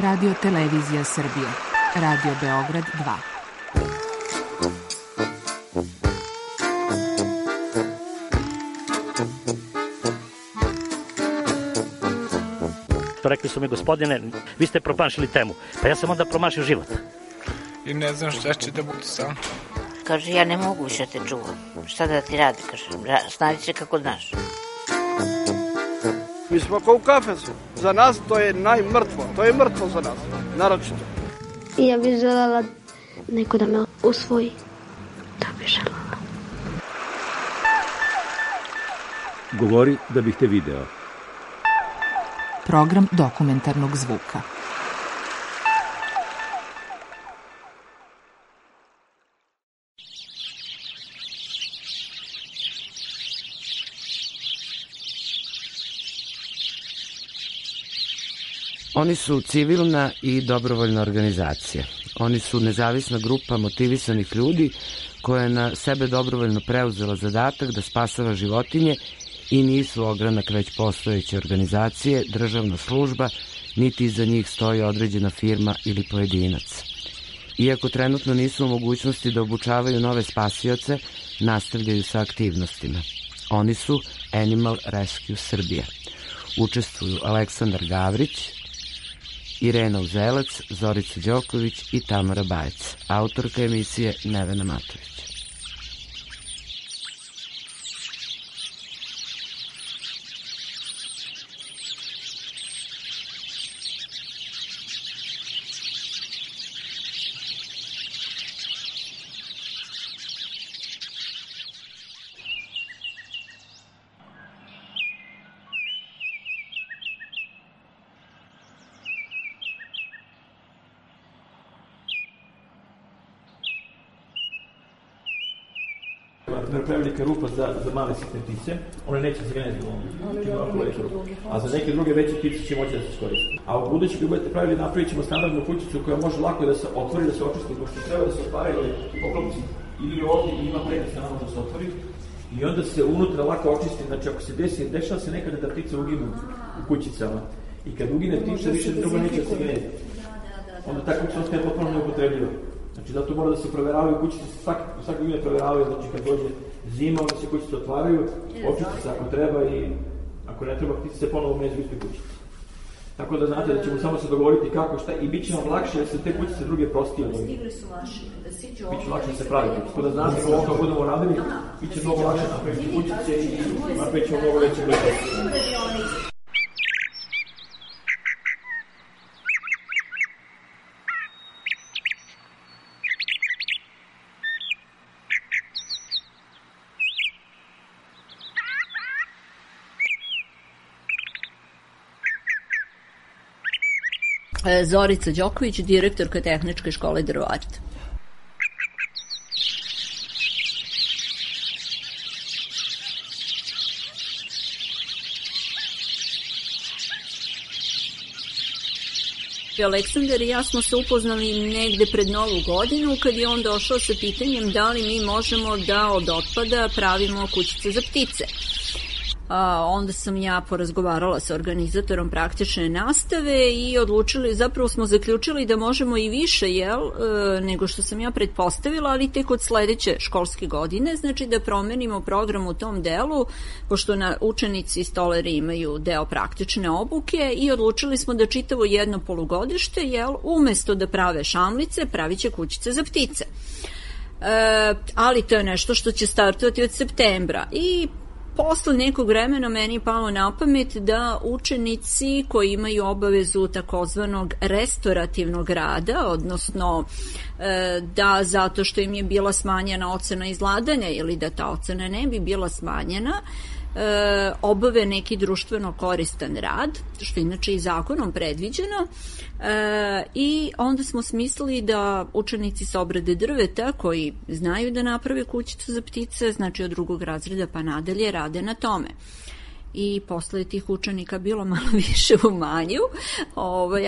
Radio Televizija Srbije, Radio Beograd 2. Rekli su mi, gospodine, vi ste promašili temu. Pa ja sam onda promašio život. I ne znam šta će da bude sam. Kaže, ja ne mogu više te čuvam. Šta da ti radi, kaže, snađi se kako znaš. Mi smo kao u kafesu. Za nas to je najmrtvo. To je mrtvo za nas, naročito. I ja bih želela neko da me usvoji. To bih želela. Govori da bih te video. Program dokumentarnog zvuka. Oni su civilna i dobrovoljna organizacija. Oni su nezavisna grupa motivisanih ljudi koja je na sebe dobrovoljno preuzela zadatak da spasava životinje i nisu ogranak već postojeće organizacije, državna služba, niti iza njih stoji određena firma ili pojedinac. Iako trenutno nisu u mogućnosti da obučavaju nove spasioce, nastavljaju sa aktivnostima. Oni su Animal Rescue Srbija. Učestvuju Aleksandar Gavrić, Irena Uzelac, Zorica Đoković i Tamara Bajec. Autorka emisije Nevena Matović. Prevelika rupa za male sitne ptice, one neće se geneti a za neke druge veće ptice će moći da se iskoristi. A u budući kad budete pravili, napravit ćemo standardnu kućicu koja može lako da se otvori, da se očisti, pošto treba da se otvaraju oklopci ili ovdje i ima prednost da se otvori i onda se unutra lako očisti. Znači ako se dešava se nekada da ptice uginu u kućicama i kad ugine ptica više drugo neće da se geneti. Onda ta kućica ostaje potpuno neupotrebljiva. Znači, zato mora da se proveravaju kućice, svake godine proveravaju, znači kad dođe zima, onda se kućice otvaraju, očisti se ako treba i ako ne treba, ptice se ponovo među ispred kućice. Tako da znate da ćemo samo se dogovoriti kako, šta i bit će vam lakše jer se te kućice druge prostije. Stigli su vaši, da siđu ovo. Bit će lakše da se pravi kućice. Tako da znate kako ovo budemo radili, bit će mnogo lakše napraviti kućice i napravit ćemo mnogo veće bliže. Zorica Đoković, direktorka Tehničke škole drvarstva. Aleksandar i ja smo se upoznali negde pred Novu godinu kad je on došao sa pitanjem da li mi možemo da od otpada pravimo kućice za ptice. Onda sam ja porazgovarala sa organizatorom praktične nastave i zapravo smo zaključili da možemo i više, nego što sam ja pretpostavila, ali tek od sledeće školske godine, znači da promenimo program u tom delu, pošto učenici stoleri imaju deo praktične obuke i odlučili smo da čitavo jedno polugodište, umesto da prave šamlice, pravit će kućice za ptice. Ali to je nešto što će startovati od septembra i posle nekog vremena meni je palo na pamet da učenici koji imaju obavezu takozvanog restorativnog rada, odnosno da zato što im je bila smanjena ocena izladanja ili da ta ocena ne bi bila smanjena, obave neki društveno koristan rad, što je inače i zakonom predviđeno, i onda smo smislili da učenici sa obrade drveta koji znaju da naprave kućicu za ptice, znači od drugog razreda pa nadalje, rade na tome. i posle tih učenika bilo malo više u manju,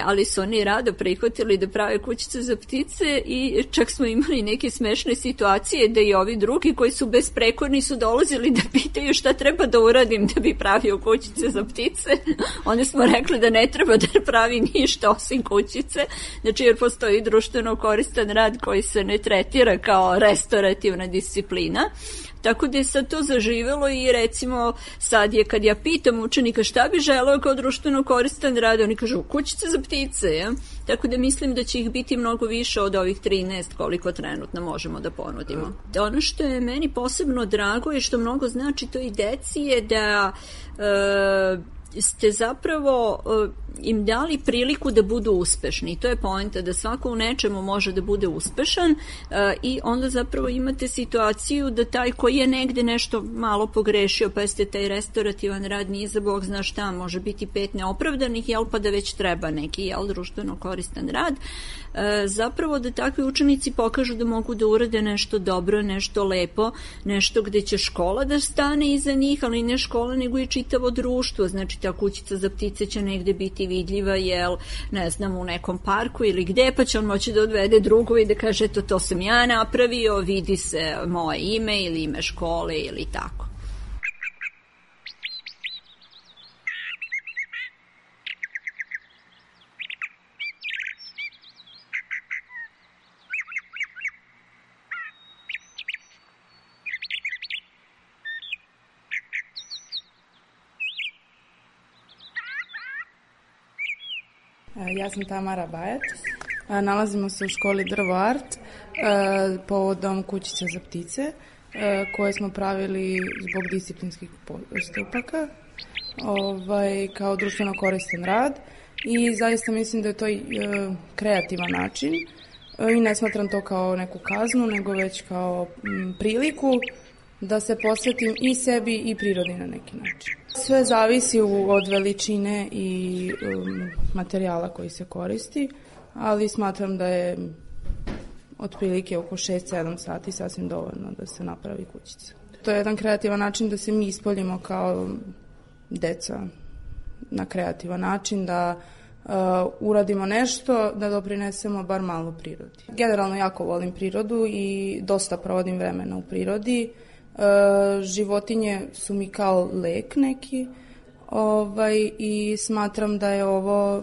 ali su oni rado prihvatili da prave kućice za ptice i čak smo imali neke smešne situacije da i ovi drugi koji su besprekorni su dolazili da pitaju šta treba da uradim da bi pravio kućice za ptice. Oni smo rekli da ne treba da pravi ništa osim kućice, znači jer postoji društveno koristan rad koji se ne tretira kao restorativna disciplina. Tako da je sad to zaživelo i recimo sad je kad ja pitam učenika šta bi želeo kao društveno koristan rad, oni kažu kućice za ptice. Ja? Tako da mislim da će ih biti mnogo više od ovih 13 koliko trenutno možemo da ponudimo. Ono što je meni posebno drago i što mnogo znači to i deci je da ste zapravo im dali priliku da budu uspešni. To je poenta da svako u nečemu može da bude uspešan i onda zapravo imate situaciju da taj koji je negde nešto malo pogrešio, pa jeste taj restorativan rad nije za Bog zna šta, može biti 5 neopravdanih, pa da već treba neki društveno koristan rad, zapravo da takvi učenici pokažu da mogu da urade nešto dobro, nešto lepo, nešto gde će škola da stane iza njih, ali ne škola nego i čitavo društvo. Znači ta kućica za ptice će negde biti vidljiva, ne znam, u nekom parku ili gde, pa će on moći da odvede drugu i da kaže to sam ja napravio, vidi se moje ime ili ime škole ili tako. Ja sam Tamara Bajac. Nalazimo se u školi Drvo Art povodom kućica za ptice koje smo pravili zbog disciplinskih postupaka kao društveno koristan rad i zaista mislim da je to kreativan način i ne smatram to kao neku kaznu nego već kao priliku da se posvetim i sebi i prirodi na neki način. Sve zavisi od veličine i materijala koji se koristi, ali smatram da je otprilike oko 6-7 sati sasvim dovoljno da se napravi kućica. To je jedan kreativan način da se mi ispoljimo kao deca na kreativan način, da uradimo nešto, da doprinesemo bar malo prirodi. Generalno jako volim prirodu i dosta provodim vremena u prirodi. Životinje su mi kao lek neki i smatram da je ovo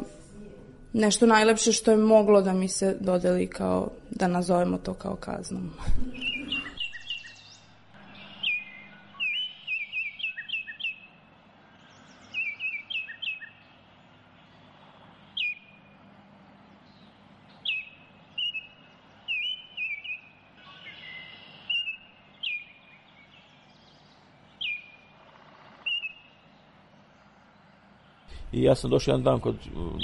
nešto najlepše što je moglo da mi se dodeli kao, da nazovemo to kao kaznom. I ja sam došao jedan dan kod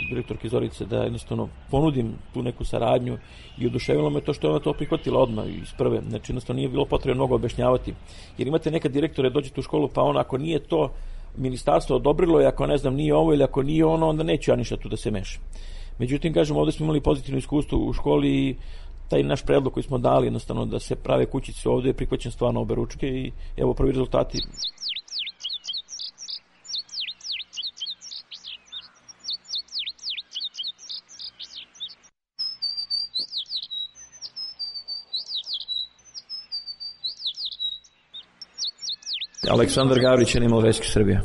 direktorke Zorice da jednostavno ponudim tu neku saradnju i oduševilo me to što je ona to prihvatila odmah iz prve. Znači jednostavno nije bilo potrebno mnogo objašnjavati. Jer imate neka direktore, dođete u školu pa on ako nije to ministarstvo odobrilo i ako ne znam nije ovo ili ako nije ono, onda neću ja ništa tu da se meša. Međutim, kažem, ovde smo imali pozitivno iskustvo u školi i taj naš predlog koji smo dali jednostavno da se prave kućice ovde je prihvaćen stvarno obe ručke i evo prvi rezultati. Aleksandar Gavrić, Animal Rescue Srbija.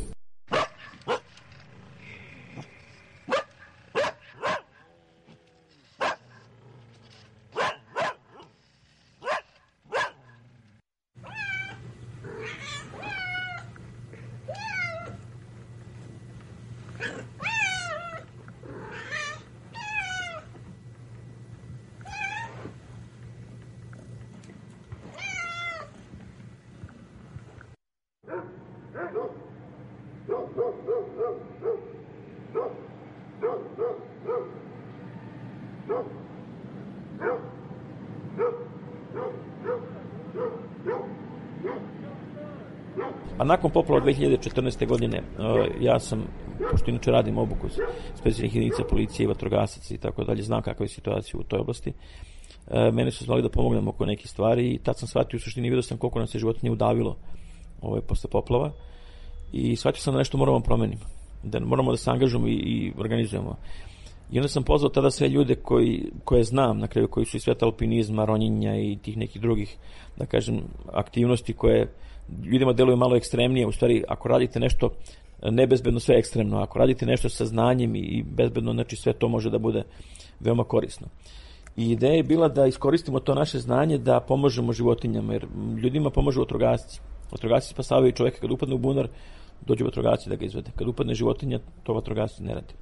A nakon poplava 2014. godine ja sam, pošto inače radim obuku specijalnih jedinica policije i vatrogasaca i tako dalje, znam kakva je situacija u toj oblasti, mene su zvali da pomognem oko nekih stvari i tad sam shvatio u suštini, vidio sam koliko nam se životinje udavilo posle poplava i shvatio sam da nešto moramo promeniti, da moramo da se angažujemo i organizujemo. I onda sam pozvao tada sve ljude koje znam, na kraju koji su iz sveta alpinizma, ronjenja i tih nekih drugih, da kažem, aktivnosti koje ljudima deluju malo ekstremnije. U stvari, ako radite nešto nebezbedno, sve ekstremno. Ako radite nešto sa znanjem i bezbedno, znači sve to može da bude veoma korisno. I ideja je bila da iskoristimo to naše znanje da pomožemo životinjama, jer ljudima pomažu vatrogasci. Vatrogasci spasavaju čoveka kad upadne u bunar, dođu vatrogasci da ga izvede. Kad upadne životinja, to vatrogasci ne radi.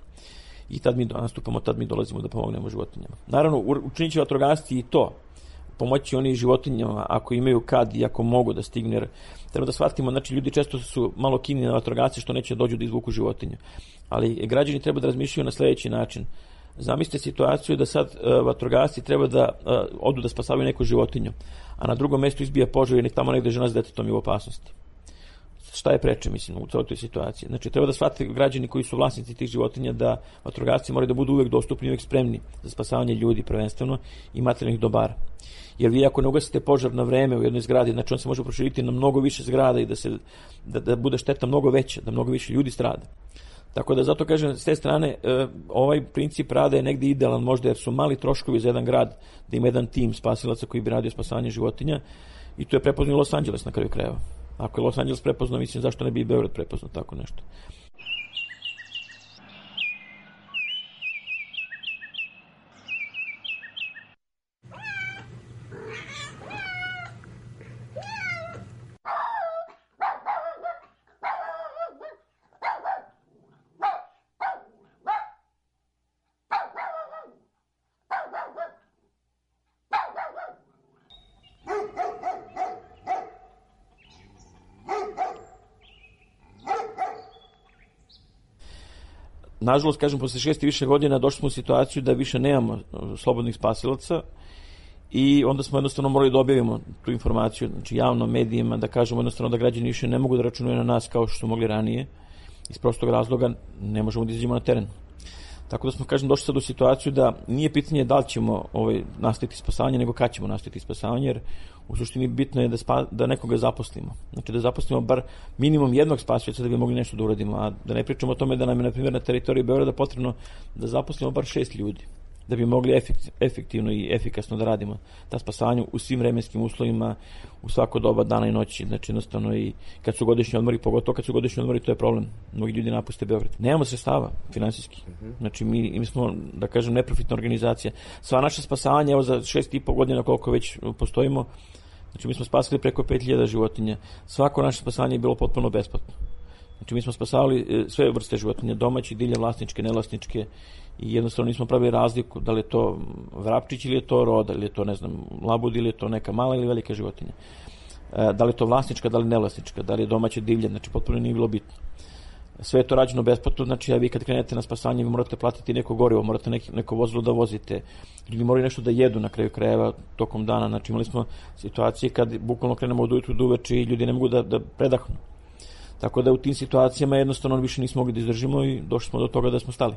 I tad mi nastupamo, tad mi dolazimo da pomognemo životinjama. Naravno, učinit će vatrogasci i to. Pomoći oni životinjama ako imaju kad i ako mogu da stignu, jer treba da shvatimo, znači ljudi često su malo kini na vatrogasce što neće dođu da izvuku životinju. Ali građani treba da razmišljaju na sledeći način. Zamislite situaciju da sad vatrogasci treba da odu da spasavaju neku životinju, a na drugom mestu izbija požar i tamo negde žena s detetom je u opasnosti. Šta je preče, mislim, u celoj toj situaciji? Znači, treba da shvate građani koji su vlasnici tih životinja da vatrogasci moraju da budu uvek dostupni, uvek spremni za spasavanje ljudi prvenstveno i materijalnih dobara. Jer vi ako ne ugasite požar na vreme u jednoj zgradi, znači on se može proširiti na mnogo više zgrada i da bude šteta mnogo veća, da mnogo više ljudi strada. Tako da zato kažem, s te strane, ovaj princip rada je negde idealan možda jer su mali troškovi za jedan grad, da ima jedan tim spasilaca koji bi radio spasavanje životinja i to je prepoznao Los Angeles na kraju krajeva. Ako je Los Angeles prepoznao, mislim zašto ne bi i Beograd prepoznao tako nešto. Nažalost, kažem, posle 6 i više godina došli smo u situaciju da više nemamo slobodnih spasilaca i onda smo jednostavno morali da objavimo tu informaciju, znači javno medijima, da kažemo jednostavno da građani više ne mogu da računaju na nas kao što su mogli ranije. Iz prostog razloga ne možemo da izađemo na teren. Tako da smo, kažem, došli sad u situaciju da nije pitanje da li ćemo nastaviti spasavanje, nego kad ćemo nastaviti spasavanje, jer u suštini bitno je da nekoga zaposlimo. Znači da zaposlimo bar minimum jednog spasioca da bi mogli nešto da uradimo, a da ne pričamo o tome da nam je, na primjer, na teritoriji Beograda potrebno da zaposlimo bar 6 ljudi, da bi mogli efektivno i efikasno da radimo ta spasavanja u svim vremenskim uslovima, u svako doba dana i noći. Znači jednostavno i kad su godišnji odmori, pogotovo kad su godišnji odmori, to je problem. Mnogi ljudi napuste Beograd. Nemamo sredstava finansijski. Znači mi smo, da kažem, neprofitna organizacija. Sva naša spasavanja, evo za 6,5 godina koliko već postojimo, znači mi smo spasili preko 5000 životinja. Svako naše spasavanje je bilo potpuno besplatno. Znači mi smo spasavali sve vrste životinja, domaće, divlje, vlasničke, nevlasničke, i jednostavno nismo pravili razliku da li je to vrapčić ili je to roda, ili je to, ne znam, labud ili je to neka mala ili velika životinja. Da li je to vlasnička, da li nevlasnička, da li je domaće, divlje, znači potpuno nije bilo bitno. Sve je to rađeno besplatno, znači vi kad krenete na spasanje vi morate platiti neko gorivo, morate neko vozilo da vozite, ljudi moraju nešto da jedu na kraju krajeva tokom dana. Znači imali smo situacije kad bukvalno krenemo od ujutru do uveče i ljudi ne mogu da predahnu. Tako da u tim situacijama jednostavno više nismo mogli da izdržimo i došli smo do toga da smo stali.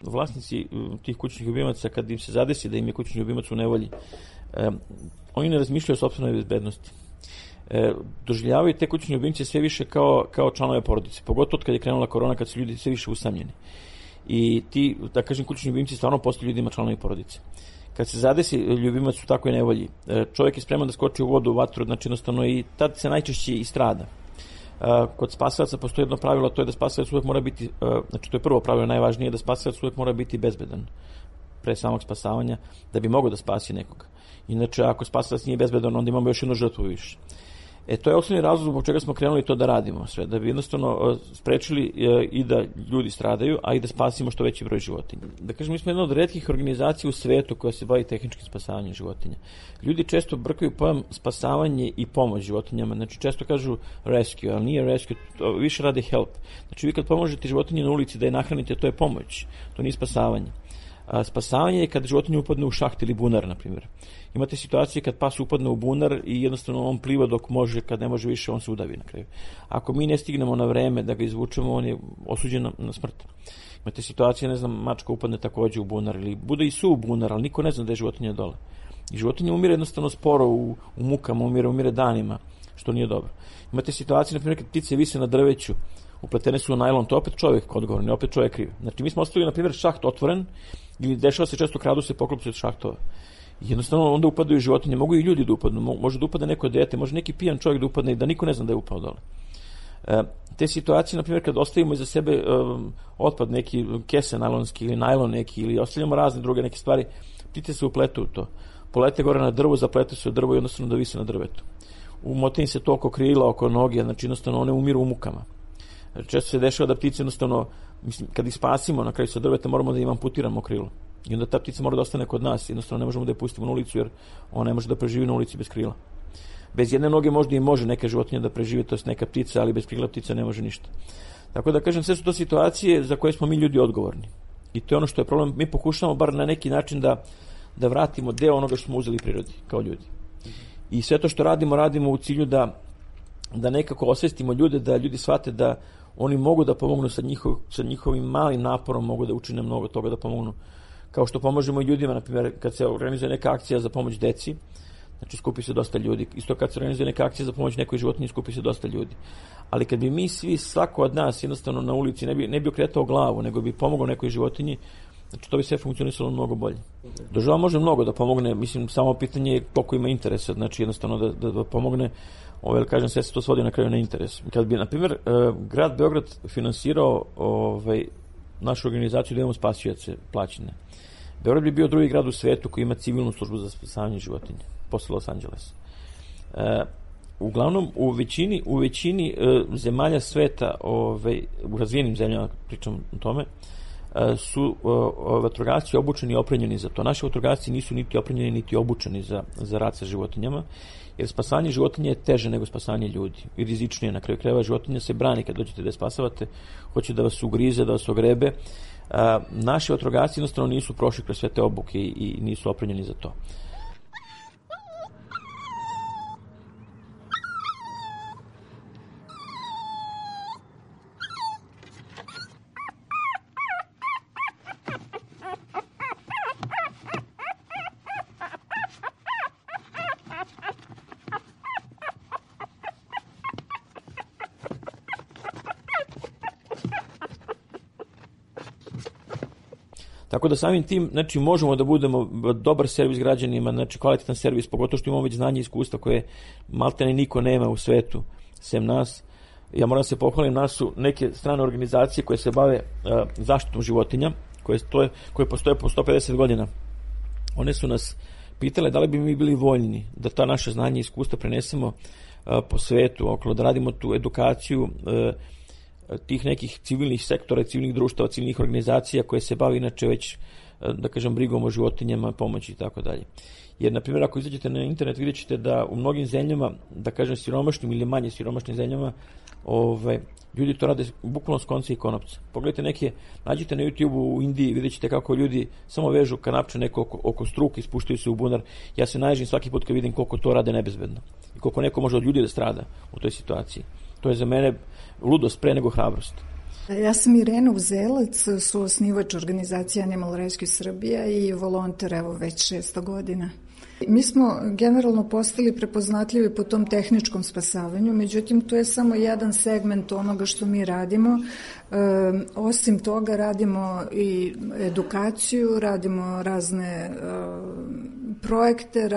Vlasnici tih kućnih ljubimaca, kad im se zadesi da im je kućni ljubimac u nevolji, oni ne razmišljaju o sopstvenoj bezbednosti. Doživljavaju te kućne ljubimce sve više kao članove porodice, pogotovo kad je krenula korona, kad su ljudi sve više usamljeni. I ti, da kažem, kućni ljubimci stvarno postaju ljudima članovi porodice. Kad se zadesi ljubimac u takvoj nevolji, čovjek je spreman da skoči u vodu, u vatru, znači jednostavno i tad se najčešće i strada. Kod spasilaca postoji jedno pravilo, to je da spasilac uvek mora biti, znači to je prvo pravilo, najvažnije, da spasilac uvek mora biti bezbedan pre samog spasavanja, da bi mogao da spasi nekoga. Inače, ako spasilac nije bezbedan, onda imamo još jednu žrtvu više. To je osnovni razlog zbog čega smo krenuli to da radimo sve, da bi jednostavno sprečili i da ljudi stradaju, a i da spasimo što veći broj životinja. Da kažem, mi smo jedna od retkih organizacija u svetu koja se bavi tehničkim spasavanjem životinja. Ljudi često brkaju pojam spasavanje i pomoć životinjama, znači često kažu rescue, ali nije rescue, više rade help. Znači vi kad pomožete životinji na ulici da je nahranite, to je pomoć, to nije spasavanje. Spasavanje je kad životinja upadne u šaht ili bunar, na primjer. Imate situacije kad pas upadne u bunar i jednostavno on pliva dok može, kad ne može više, on se udavi na kraju. Ako mi ne stignemo na vreme da ga izvučemo, on je osuđen na smrt. Imate situacije, ne znam, mačka upadne takođe u bunar ili bude i su u bunar, ali niko ne zna da je životinja dole. I životinja umire jednostavno sporo u mukama, umire danima, što nije dobro. Imate situacije, na primjer, kad ptice vise na drveću, upletene su u najlon, to opet čovjek odgovoran, opet čovjek kriv. Znači, mi smo ostavili, na primjer, šaht otvoren, ili dešava se često, kradu se poklopci od šahtova. Jednostavno, onda upadaju životinje, mogu i ljudi da upadnu, može da upadne neko dete, može neki pijan čovjek da upadne i da niko ne zna da je upao dole. Te situacije, na primjer, kad ostavimo iza sebe otpad, neki kese najlonski ili najlon neki, ili ostavljamo razne druge neke stvari, ptice se upletu u to. Polete gore na drvo, zaplete se u drvo i jednostavno da vise na drvetu. Umote im se to oko krila, oko noge, znači jednostavno one umiru u mukama. Često se dešava da ptice jednostavno, mislim, kad ih spasimo na kraju sa drveta, moramo da im amputiramo krilo. I onda ta ptica mora da ostane kod nas, jednostavno ne možemo da je pustimo na ulicu, jer ona ne može da preživi na ulici bez krila. Bez jedne noge možda i može neka životinja da preživi, to je neka ptica, ali bez krila ptica ne može ništa. Tako da kažem, sve su to situacije za koje smo mi ljudi odgovorni. I to je ono što je problem. Mi pokušamo bar na neki način da vratimo deo onoga što smo uzeli prirodi kao ljudi. I sve to što radimo u cilju da nekako osvestimo ljude, da ljudi shvate da oni mogu da pomognu sa njihovim malim naporom, mogu da učine mnogo toga da pomognu. Kao što pomažemo i ljudima, na primjer, kad se organizuje neka akcija za pomoć deci, znači skupi se dosta ljudi. Isto kad se organizuje neka akcija za pomoć nekoj životinji, skupi se dosta ljudi. Ali kad bi mi svi, svako od nas jednostavno na ulici ne bi okretao glavu, nego bi pomogao nekoj životinji, znači to bi sve funkcionisalo mnogo bolje. Država može mnogo da pomogne, mislim, samo pitanje je koliko ima interesa, znači jednostavno da pomogne, kažem, sve se to svodi na kraju na interes. Kad bi, na primjer, grad Beograd finansirao našu organizaciju da imamo spasioce plaćene, Beograd bi bio drugi grad u svetu koji ima civilnu službu za spasavanje životinja, posle Los Angelesa. Uglavnom, u većini zemalja sveta, u razvijenim zemljama, pričam o tome, su vatrogasci obučeni i opremljeni za to. Naši vatrogasci nisu niti opremljeni, niti obučeni za rad sa životinjama, jer spasanje životinja je teže nego spasanje ljudi i rizičnije. Na kraju krajeva životinja se brani kad dođete da je spasavate, hoće da vas ugrize, da vas ogrebe. Naši vatrogasci jednostavno nisu prošli kroz sve te obuke i nisu opremljeni za to. Tako da samim tim, znači, možemo da budemo dobar servis građanima, znači kvalitetan servis, pogotovo što imamo već znanje i iskustva koje maltene niko nema u svetu, sem nas. Ja moram se pohvalim, nas su neke strane organizacije koje se bave zaštitom životinja, koje postoje po 150 godina. One su nas pitale da li bi mi bili voljni da ta naše znanje i iskustva prenesemo po svetu, okolo, da radimo tu edukaciju tih nekih civilnih sektora, civilnih društava, civilnih organizacija koje se bave inače već, da kažem, brigom o životinjama, pomoći i tako dalje. Jer, na primjer, ako izađete na internet, vidjet ćete da u mnogim zemljama, da kažem siromašnim ili manje siromašnim zemljama, ljudi to rade bukvalno s konca i konopca. Pogledajte nađite na YouTube u Indiji, vidjet ćete kako ljudi samo vežu kanapče neko oko struke i spuštaju se u bunar. Ja se naježim svaki put kad vidim koliko to rade nebezbedno i koliko neko može od ljudi da strada u toj situaciji. To je za mene ludost pre nego hrabrost. Ja sam Irena Uzelac, suosnivač organizacije Animal Rescue Srbija i volonter već 600 godina. Mi smo generalno postali prepoznatljivi po tom tehničkom spasavanju, međutim to je samo jedan segment onoga što mi radimo. Osim toga radimo i edukaciju, radimo razne projekte,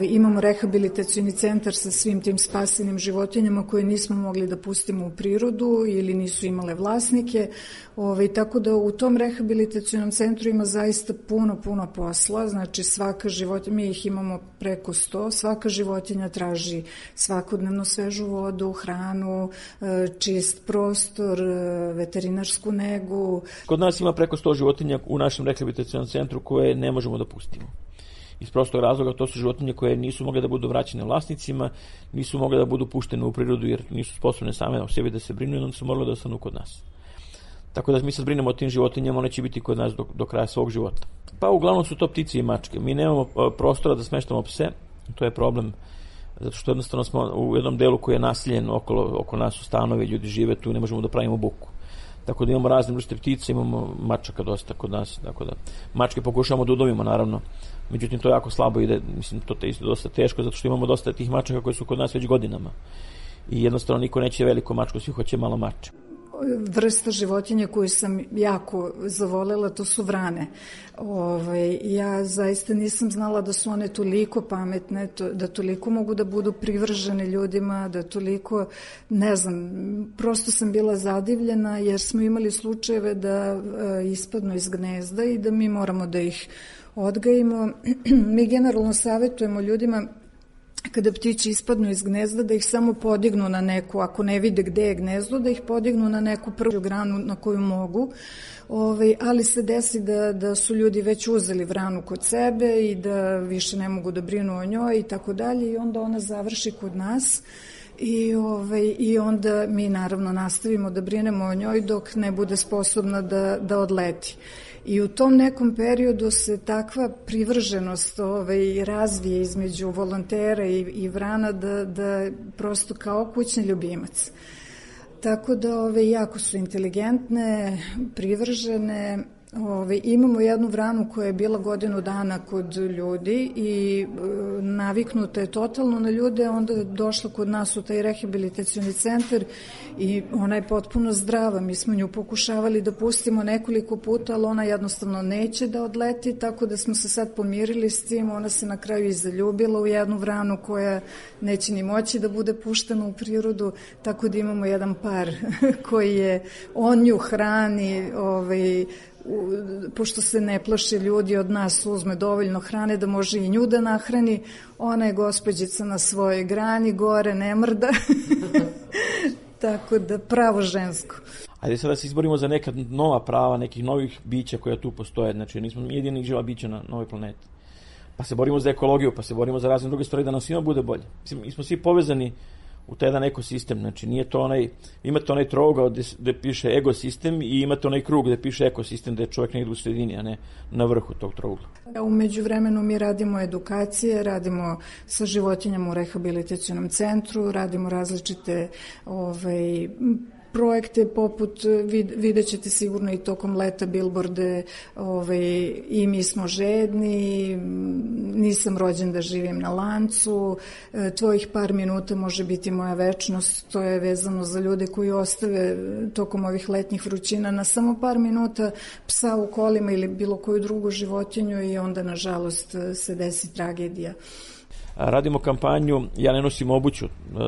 imamo rehabilitacioni centar sa svim tim spasenim životinjama koje nismo mogli da pustimo u prirodu ili nisu imale vlasnike. Tako da u tom rehabilitacionom centru ima zaista puno posla, znači svaka životinja, mi ih imamo preko 100, svaka životinja traži svakodnevno svežu vodu, hranu, čist prostor, veterinarsku negu. Kod nas ima preko 100 životinja u našem rehabilitacionom centru koje ne možemo da pustimo. Iz prostog razloga to su životinje koje nisu mogle da budu vraćene vlasnicima, nisu mogle da budu puštene u prirodu jer nisu sposobne same o sebi da se brinu i onda su morale da ostanu kod nas. Tako da mi se brinemo o tim životinjama, one će biti kod nas do kraja svog života. Pa uglavnom su to ptice i mačke. Mi nemamo prostora da smeštamo pse, to je problem, zato što jednostavno smo u jednom delu koji je naseljen oko nas u stanovi, ljudi žive tu, ne možemo da pravimo buku. Tako da imamo razne vrste ptice, imamo mačaka dosta kod nas, tako da mačke pokušavamo da udomimo, naravno. Međutim, to jako slabo ide, mislim, to je isto dosta teško, zato što imamo dosta tih mačaka koji su kod nas već godinama. I jednostavno niko neće veliko mačko, svi hoće malo mače. Vrsta životinja koju sam jako zavolela, to su vrane. Ja zaista nisam znala da su one toliko pametne, da toliko mogu da budu privržene ljudima, da toliko, ne znam, prosto sam bila zadivljena jer smo imali slučajeve da ispadnu iz gnezda i da mi moramo da ih odgajimo. Mi generalno savjetujemo ljudima kada ptići ispadnu iz gnezda, da ih samo podignu na neku, ako ne vide gde je gnezdo, da ih podignu na neku prvu granu na koju mogu, ali se desi da su ljudi već uzeli vranu kod sebe i da više ne mogu da brinu o njoj i tako dalje i onda ona završi kod nas i onda mi naravno nastavimo da brinemo o njoj dok ne bude sposobna da odleti. I u tom nekom periodu se takva privrženost razvije između volontera i vrana da prosto kao kućni ljubimac. Tako da jako su inteligentne, privržene. Imamo jednu vranu koja je bila godinu dana kod ljudi i naviknuta je totalno na ljude, onda je došla kod nas u taj rehabilitacioni centar i ona je potpuno zdrava. Mi smo nju pokušavali da pustimo nekoliko puta, ali ona jednostavno neće da odleti, tako da smo se sad pomirili s tim. Ona se na kraju i zaljubila u jednu vranu koja neće ni moći da bude puštena u prirodu, tako da imamo jedan par koji je, on nju hrani, pošto se ne plaše ljudi od nas, uzme dovoljno hrane da može i nju da nahrani. Ona je gospođica na svojoj grani, gore ne mrda. Tako da pravo žensko. Ajde sad da se izborimo za neka nova prava, nekih novih bića koja tu postoje. Znači nismo jedinih živa bića na novoj planeti. Pa se borimo za ekologiju, pa se borimo za razne druge stvari da nam svima bude bolje. Mi smo svi povezani u taj jedan ekosistem, znači nije to imate onaj trougao gde piše egosistem i imate onaj krug gde piše ekosistem, gde je čovjek negdje u sredini, a ne na vrhu tog trougla. U međuvremenu mi radimo edukacije, radimo sa životinjama u rehabilitacionom centru, radimo različite projekte poput, vidjet ćete sigurno i tokom leta bilborde, i mi smo žedni, nisam rođen da živim na lancu, tvojih par minuta može biti moja večnost. To je vezano za ljude koji ostave tokom ovih letnjih vrućina na samo par minuta psa u kolima ili bilo koju drugu životinju i onda nažalost se desi tragedija. Radimo kampanju Ja ne nosim obuću.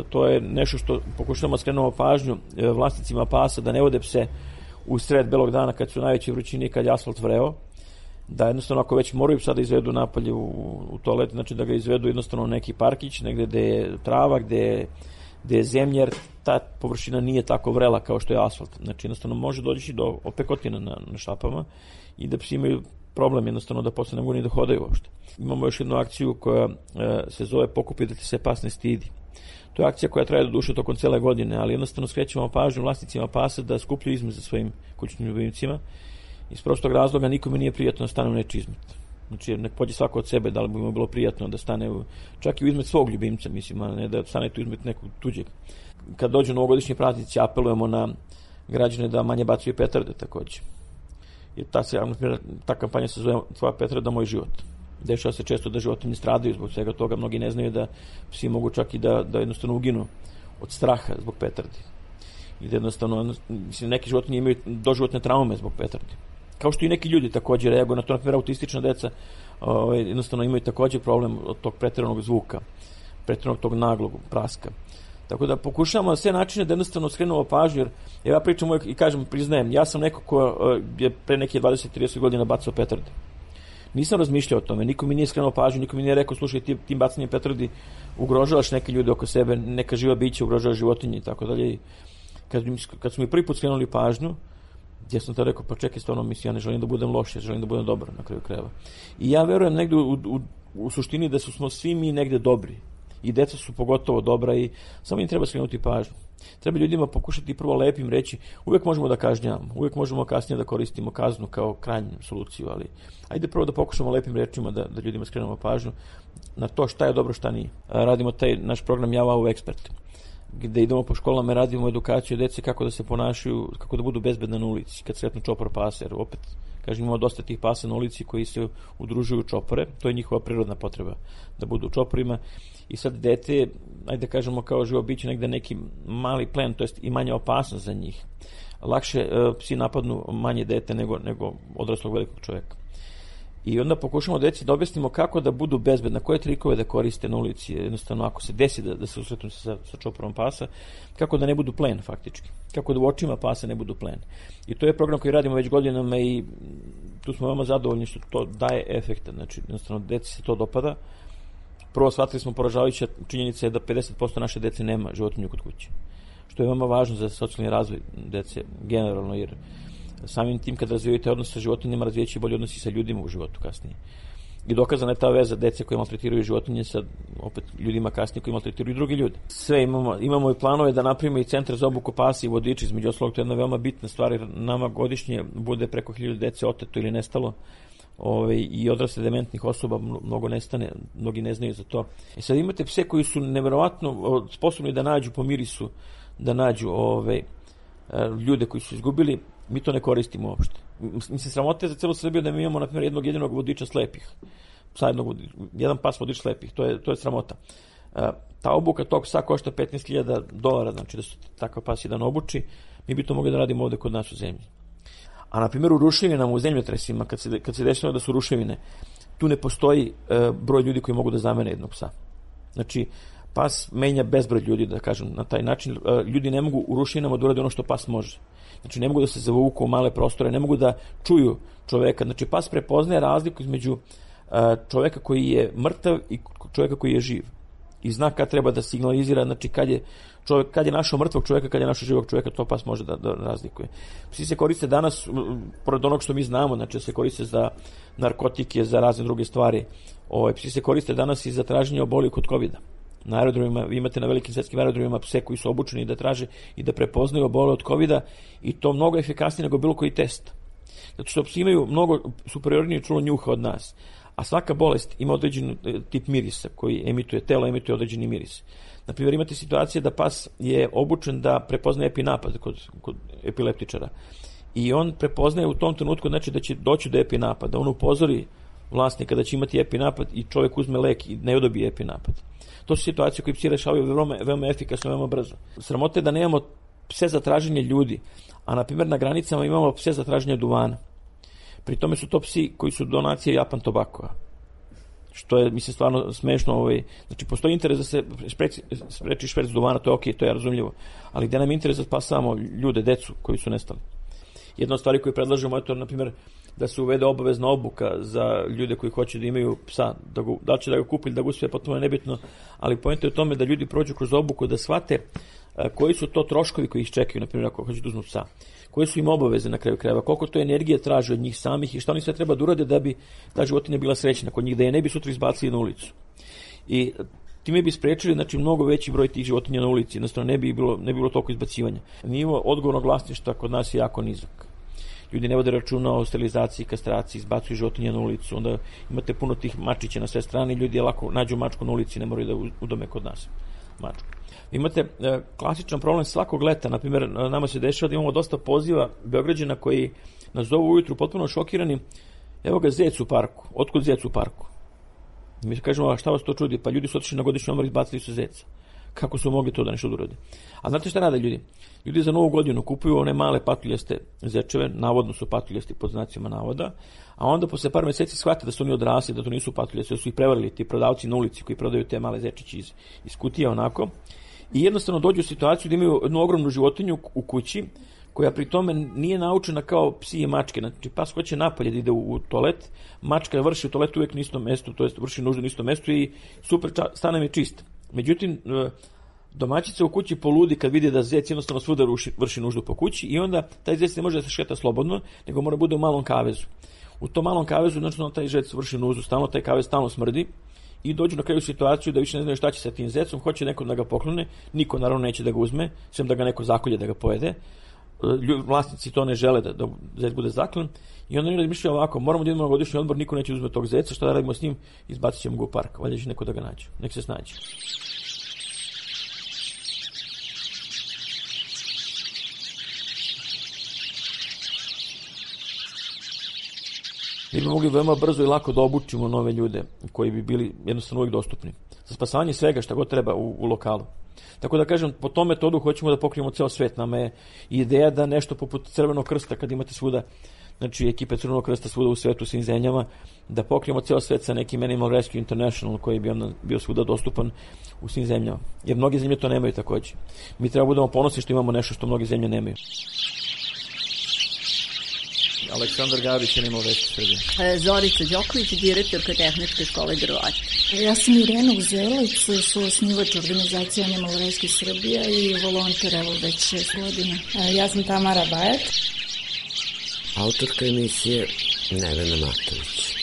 To je nešto što pokušavamo skrenemo pažnju vlasnicima pasa da ne vode pse u sred belog dana kad su najveće vrućine i kad je asfalt vreo. Da jednostavno ako već moraju psa da izvedu napolje u toalet, znači da ga izvedu jednostavno u neki parkić, negde gde je trava, gde je zemlja, jer ta površina nije tako vrela kao što je asfalt. Znači jednostavno može doći do opekotina na šapama i da psi imaju problem jednostavno da posle ne mogu ni da hodaju uopšte. Imamo još jednu akciju koja se zove Pokupi da ti se pas ne stidi. To je akcija koja traje do duše tokom cele godine, ali jednostavno skrećemo pažnju vlasnicima pasa da skupljaju izmet za svojim kućnim ljubimcima. Iz prostog razloga nikome nije prijatno da stane u nečiji izmet. Znači nek pođe svako od sebe, da li bi mu bilo prijatno da stane čak i u izmet svog ljubimca, mislim, a ne da stane tu izmet nekog tuđeg. Kad dođu novogodišnji praznici, apelujemo na građane da manje bacaju petarde takođe. Jer ta kampanja se zove Tvoja petarda, moj život. Dešava se često da životinje stradaju zbog svega toga, mnogi ne znaju da psi mogu čak i da jednostavno uginu od straha zbog petardi. I da jednostavno, mislim, neki životinje imaju doživotne traume zbog petardi. Kao što i neki ljudi takođe reaguju na to, na primjer autistična deca jednostavno imaju takođe problem od tog preteranog zvuka, preteranog tog naglog praska. Tako da pokušavamo na sve načine da jednostavno skrenemo pažnju, jer ja pričam uvijek i kažem, priznajem, ja sam neko ko je pre neke 20-30 godina bacao petarde. Nisam razmišljao o tome, niko mi nije skrenuo pažnju, niko mi nije rekao, slušaj, tim bacanjem petardi ugrožavaš neke ljude oko sebe, neka živa bića, ugrožavaš životinje i tako dalje. Kad su mi prvi put skrenuli pažnju, ja sam to rekao, pa čekaj, stvarno, mislim, ja ne želim da budem loš, ja želim da budem dobar na kraju krajeva. I ja verujem negde u suštini da smo svi mi negde dobri. i deca su pogotovo dobra i samo im treba skrenuti pažnju. Treba ljudima pokušati prvo lepim reći, uvek možemo da kažnjavamo, uvek možemo kasnije da koristimo kaznu kao krajnju soluciju, ali ajde prvo da pokušamo lepim rečima da ljudima skrenemo pažnju na to šta je dobro, šta nije. Radimo taj naš program Ja Wow Ekspert, gde idemo po školama i radimo edukaciju dece kako da se ponašaju, kako da budu bezbedne na ulici, kad sretnu čopor pasa, jer opet, kažem, imamo dosta tih pasa na ulici koji se udružuju u čopore, to je njihova prirodna potreba, da budu u čoporima, i sad dete, ajde kažemo kao živo biće negde neki mali plen, to jest i manja opasnost za njih. Lakše psi napadnu manje dete nego odraslog velikog čoveka. I onda pokušamo deci da objasnimo kako da budu bezbedne, koje trikove da koriste na ulici, jednostavno ako se desi da se usretnu sa čoporom pasa, kako da ne budu plen faktički, kako da u očima pasa ne budu plen. I to je program koji radimo već godinama i tu smo veoma zadovoljni što to daje efekta, znači jednostavno deci se to dopada. Prvo shvatili smo poražavajuća činjenica je da 50% naše dece nema životinju kod kuće, što je veoma važno za socijalni razvoj dece generalno, jer samim tim kad razvijete odnos sa životinjama, razvijeće bolje odnosi sa ljudima u životu kasnije. I dokazana je ta veza dece koji maltretiraju životinje sa opet ljudima kasnije koji maltretiraju drugi ljudi. Sve imamo i planove da napravimo i centar za obuku pasa i vodiči, između ostalog to je jedna veoma bitna stvar, jer nama godišnje bude preko 1000 dece oteto ili nestalo, i odrasle dementnih osoba mnogo nestane, mnogi ne znaju za to. I sad imate pse koji su neverovatno sposobni da nađu po mirisu, da nađu ljude koji su izgubili, mi to ne koristimo uopšte. Mislim, sramote za celu Srbiju da mi imamo, na primjer, jednog jedinog vodiča slepih. Jedan pas vodič slepih, to je sramota. Ta obuka tog psa košta $15,000, znači da se takav pas jedan obuči, mi bi to mogli da radimo ovde kod nas u zemlji. A na primjer u ruševinama, u zemljotresima, kad se dešava da su ruševine, tu ne postoji broj ljudi koji mogu da zamene jednog psa. Znači, pas menja bezbroj ljudi, da kažem, na taj način. Ljudi ne mogu u ruševinama da urade ono što pas može. Znači, ne mogu da se zavuku u male prostore, ne mogu da čuju čoveka. Znači, pas prepoznaje razliku između čoveka koji je mrtav i čoveka koji je živ. I zna kad treba da signalizira, znači kad je našao mrtvog čoveka, kad je našao živog čoveka, to pas može da razlikuje. Psi se koriste danas, pored onog što mi znamo, znači se koriste za narkotike, za razne druge stvari. Psi se koriste danas i za traženje oboljelih kod covida. Na aerodromima, vi imate na velikim svetskim aerodromima pse koji su obučeni da traže i da prepoznaju obole od covida, i to mnogo efikasnije nego bilo koji test. Zato što psi imaju mnogo superiornije čulo njuha od nas. A svaka bolest ima određen tip mirisa koji telo emituje određeni miris. Naprimjer, imate situacije da pas je obučen da prepoznaje epinapad kod epileptičara. I on prepoznaje u tom trenutku, znači da će doći do epinapada. On upozori vlasnika da će imati epinapad i čovjek uzme lek i ne dobije epinapad. To su situacije koje psi rešavaju veoma efikasno, veoma brzo. Sramota je da nemamo pse za traženje ljudi, a na primjer na granicama imamo pse za traženje duvana. Pri tome su to psi koji su donacije Japan Tobacco-a, što je, mislim, stvarno smešno. Znači, postoji interes da se spreči šverc duvana, to je okej, to je razumljivo, ali gde nam je interes da spasamo ljude, decu koji su nestali. Jedna od stvari koju predlažemo je to, na primjer, da se uvede obavezna obuka za ljude koji hoće da imaju psa, da li će da ga kupi ili da ga uspe, potpuno nebitno, ali poenta je u tome da ljudi prođu kroz obuku, da shvate koji su to troškovi koji ih čekaju, na primjer, ako hoće da uzmu psa, koje su im obaveze na kraju krajeva, koliko to energije traži od njih samih i šta oni sve treba da urade da bi ta životinja bila srećna kod njih, da je ne bi sutra izbacili na ulicu. I time bi sprečili, znači, mnogo veći broj tih životinja na ulici, jednostavno ne bi bilo toliko izbacivanja. Nivo odgovornog vlasništva kod nas je jako nizak. Ljudi ne vode računa o sterilizaciji, kastraciji, izbacuju životinje na ulicu, onda imate puno tih mačića na sve strane, ljudi lako nađu mačku na ulici, ne moraju da udome kod nas mačku. Imate klasičan problem svakog leta, na primjer, nama se dešava da imamo dosta poziva Beograđana koji nas zovu ujutru potpuno šokirani, evo ga zec u parku, otkud zec u parku? Mi kažemo, a šta vas to čudi? Pa ljudi su otišli na godišnji odmor i izbacili su zeca. Kako su mogli to da nešto urade? A znate šta rade ljudi? Ljudi za Novu godinu kupuju one male patuljaste zečeve, navodno su patuljasti pod znacima navoda, a onda posle par meseci shvate da su oni odrasli, da to nisu patuljasti, da su ih prevarili ti prodavci na ulici koji prodaju te male zečići iz kutija onako, i jednostavno dođu u situaciju da imaju jednu ogromnu životinju u kući, koja pri tome nije naučena kao psi i mačke. Znači, pas hoće napolje da ide u toalet, mačka vrši u toaletu uvijek na istom mestu, to jest vrši nuždu na istom mestu i super, stan nam je čist. Međutim, domaćica u kući poludi kad vidi da zec jednostavno svuda vrši nuždu po kući i onda taj zec ne može da se šeta slobodno, nego mora bude u malom kavezu. U tom malom kavezu, znači, taj zec vrši nuždu stalno, taj kavez stalno smrdi i dođu na kraju situaciju da više ne znaju šta će sa tim zecom, hoće neko da ga poklone, niko naravno neće da ga uzme, sem da ga neko zakolje da ga pojede. Vlasnici to ne žele da zec bude zaklan i onda oni razmišljaju ovako, moramo da idemo na godišnji odmor, niko neće uzme tog zeca, šta da radimo s njim, izbacit ćemo ga u park, valjda će neko da ga nađe, nek se snađe. Mi bi mogli veoma brzo i lako da obučimo nove ljude koji bi bili jednostavno uvijek dostupni. Za spasavanje svega šta god treba u lokalu. Tako da kažem, po tom metodu hoćemo da pokrijemo ceo svet. Nama je ideja da nešto poput Crvenog krsta, kad imate svuda, znači ekipe Crvenog krsta svuda u svetu, u svim zemljama, da pokrijemo ceo svet sa nekim Animal Rescue International koji bi onda bio svuda dostupan u svim zemljama. Jer mnoge zemlje to nemaju takođe. Mi treba budemo ponosni što imamo nešto što mnoge zemlje nemaju. Aleksandar Gavić, Animal Rescue Srbije. Zorica Đoković, direktorka Tehničke škole Drvar. Ja sam Irena Uzelac, suosnivač organizacije Animal Rescue Srbija i volonter evo već 6 godina. Ja sam Tamara Bajac. Autorka emisije Nevena Matović.